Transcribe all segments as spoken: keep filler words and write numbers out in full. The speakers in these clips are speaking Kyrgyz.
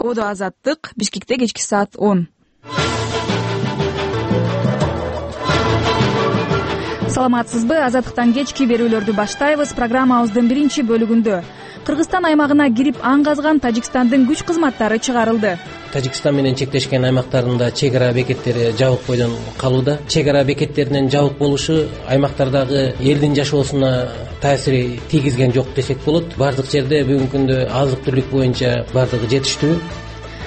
Ободо Азаттык, Бишкекте кечки саат он. Саламатсызбы? Азаттыктан кечки берүүлөрдү баштайбыз. Программабыздын биринчи бөлүгүндө Кыргызстан аймагына кирип аң казган Тажикстандын күч кызматтары чыгарылды. Тажикстан менен чектешкен аймактарында чек ара бекеттери жабык бойдон калууда. Чек ара бекеттеринин жабык болушу аймактардагы элдин жашоосуна таасири тийгизген жок десек болот. Бардык жерде бүгүнкү күндө азык-түлүк боюнча бардыгы жетиштүү.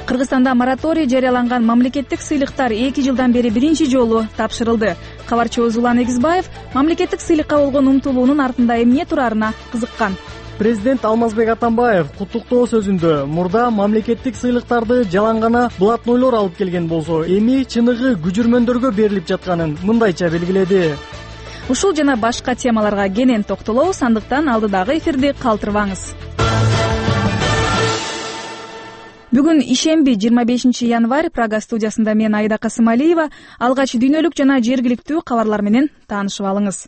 Кыргызстанда мораторий жарыяланган мамлекеттик сыйлыктар эки жылдан бери биринчи жолу тапшырылды. Кабарчыбыз Улан Эгизбаев мамлекеттик сыйлыкка болгон умтулуунун артында эмне турарына кызыккан. Президент Алмазбек Атамбаев куттуктоо сөзүндө мурда мамлекеттик сыйлыктарды жалаң гана блатнойлор алып келген болсо, эми чыныгы күжүрмөндөргө берилип жатканын мындайча белгиледи. Ушул жана башка темаларга кенен токтолобуз, андыктан алдыдагы эфирди калтырбаңыз. Бүгүн ишемби жыйырма бешинчи январь, Прага студиясында мен Айда Касымалиева. Алгач дүйнөлүк жана жергиликтүү кабарлар менен таанышып алыңыз.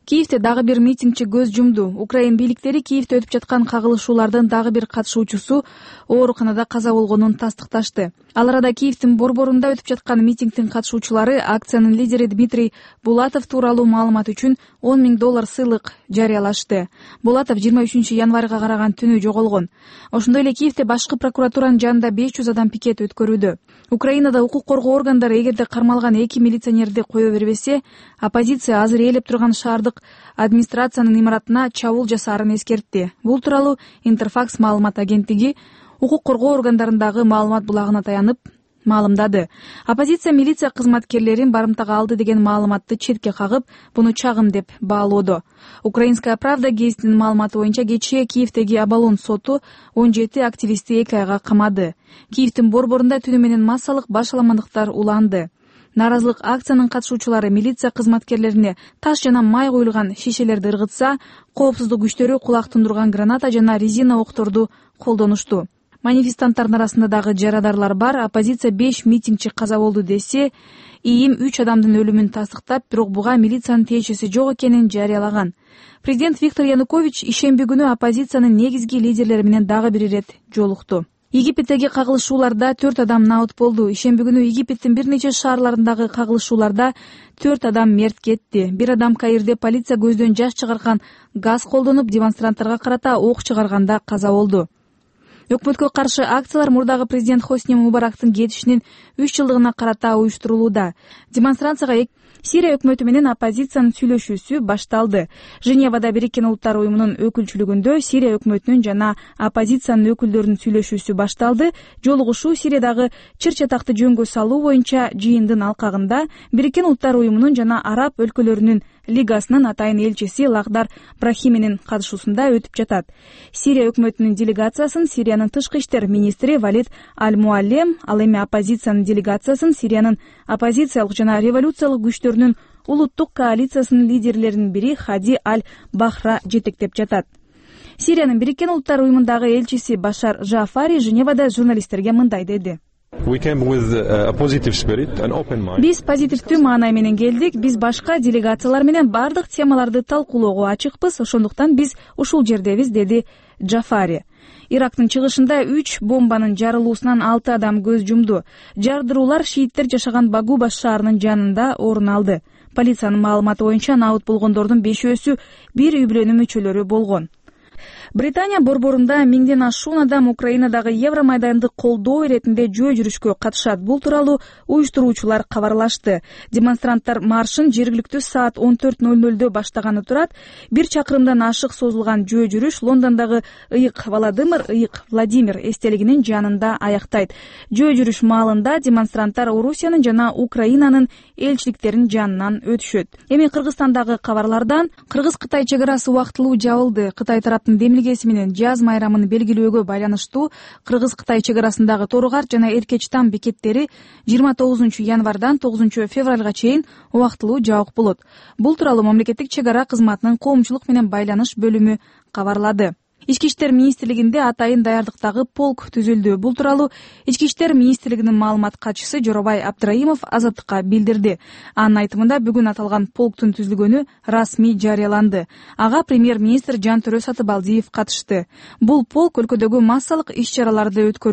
Киевде дагы бир митингчи көз жумду. Украин бийликтери Киевде өтүп жаткан кагылышуулардын дагы бир катышуучусу ооруканада каза болгонун тастыкташты. Ал арада Киевдин борборунда өтүп жаткан митингдин катышуучулары акциянын лидери Дмитрий Булатов тууралуу маалымат үчүн он миң доллар сыйлык жарыялашты. Булатов жыйырма үчүнчү январга караган түнү жоголгон. Ошондой эле Киевде башкы прокуратуранын жанында беш жүз адам пикет өткөрүүдө. Украинада укук коргоо органдары эгерде кармалган эки милиционерди кое бербесе, оппозиция азыр ээлеп турган шаардык администрациянын имаратына чабуул жасаарын эскертти. Бул тууралуу Интерфакс маалымат агенттиги укук коргоо органдарындагы маалымат булагына таянып маалымдады. Оппозиция милиция кызматкерлерин барымтага алды деген маалыматты четке кагып, буну чагым деп баалоодо. Украинская правда гезитинин маалыматы боюнча кечээ Киевдеги Абалон соту он жети активистти эки айга камады. Киевдин борборунда түнү менен массалык башаламандыктар уланды. Нааразылык акциянын катышуучулары милиция кызматкерлерине таш жана май куюлган шишелерди ыргытса, коопсуздук күчтөрү кулак тундурган граната жана резина окторду колдонушту. Манифестанттардын арасында дагы жарадарлар бар. Оппозиция беш митингчи каза болду десе, ИИМ үч адамдын өлүмүн тастыктап, бирок буга милициянын тиешеси жок экенин жарыялаган. Президент Виктор Янукович ишемби күнү оппозициянын негизги лидерлери менен дагы бир ирет жолукту. Египеттеги кагылышууларда төрт адам набыт болду. Ишемби күнү Египеттин бир нече шаарларындагы кагылышууларда төрт адам мерт кетти. Бир адам Каирде полиция көздөн жаш чыгарган газ колдонуп, демонстранттарга карата ок чыгарганда каза болду. Өкмөткө каршы акциялар мурдагы президент Хосни Мубарактын кетишинин үч жылдыгына карата уюштурулууда. Демонстрацияга Сирия өкмөтү менен оппозициянын сүйлөшүүсү башталды. Женевада Бириккен Улуттар уюмунун өкүлчүлүгүндө Сирия өкмөтүнүн жана оппозициянын өкүлдөрүнүн сүйлөшүүсү башталды. Жолугушуу Сириядагы чыр-чатакты жөнгө салуу боюнча жыйындын алкагында Бириккен Улуттар уюмунун жана араб өлкөлөрүнүн лигасынын атайын элчиси Лахдар Брахиминин катышуусунда өтүп жатат. Сирия өкмөтүнүн делегациясын Сириянын тышкы иштер министри Валид Аль-Муаллем, ал эми оппозициянын делегациясын Сириянын оппозициялык жана революциялык күчтөрүнүн улуттук коалициясынын лидерлеринин бири Хади Аль-Бахра жетектеп жатат. Сириянын Бириккен Улуттар уюмундагы элчиси Башар Жафари Женевада журналисттерге мындай деди. Биз позитивдүү маанай менен келдик. Биз башка делегациялар менен бардык темаларды талкуулоого ачыкпыз. Ошондуктан биз ушул жердебиз, деди Жафари. Ирактын чыгышында үч бомбанын жарылуусунан алты адам көз жумду. Жардыруулар шииттер жашаган Багу баш шаарынын жанында орун алды. Полициянын маалыматы боюнча набыт болгондордун бешөөсү бир үй бүлөнүн мүчөлөрү болгон. Британия борборунда миңден ашуун адам Украинадагы Евромайданды колдоо иретинде жөө жүрүшкө катышат. Бул тууралуу уюштуруучулар кабарлашты. Демонстранттар маршын жергиликтүү саат он төрт ноль нольдө баштаганы турат. Бир чакырымдан ашык созулган жөө жүрүш Лондондогу ыйык Володимир, ыйык Владимир эстелигинин жанында аяктайт. Жөө жүрүш маалында демонстранттар Орусиянын жана Украинанын элчиликтеринин жанынан өтүшөт. Эми Кыргызстандагы кабарлардан Кыргыз-Кытай чек арасы убактылуу жабылды. Кытай тараптын демилгеси менен жаз майрамын белгилөөгө байланыштуу Кыргыз-Кытай чек арасындагы Торгар жана Эркечтам бекеттери жыйырма тогузунчу январдан тогузунчу февралга чейин убактылуу жабык болот. Бул тууралуу мамлекеттик чек ара кызматынын коомчулук менен байланыш бөлүмү кабарлады. Ички иштер министрлигинде атайын даярдыктагы полк түзүлдү. Бул тууралуу Ички иштер министрлигинин маалымат катчысы Жоробай Абдраимов Азаттыкка билдирди. Анын айтымында бүгүн аталган полктун түзүлгөнү расмий жарыяланды. Ага премьер-министр Жантөрө Сатыбалдиев катышты. Бул полк өлкөдөгү массалык иш-чараларды өткөрүү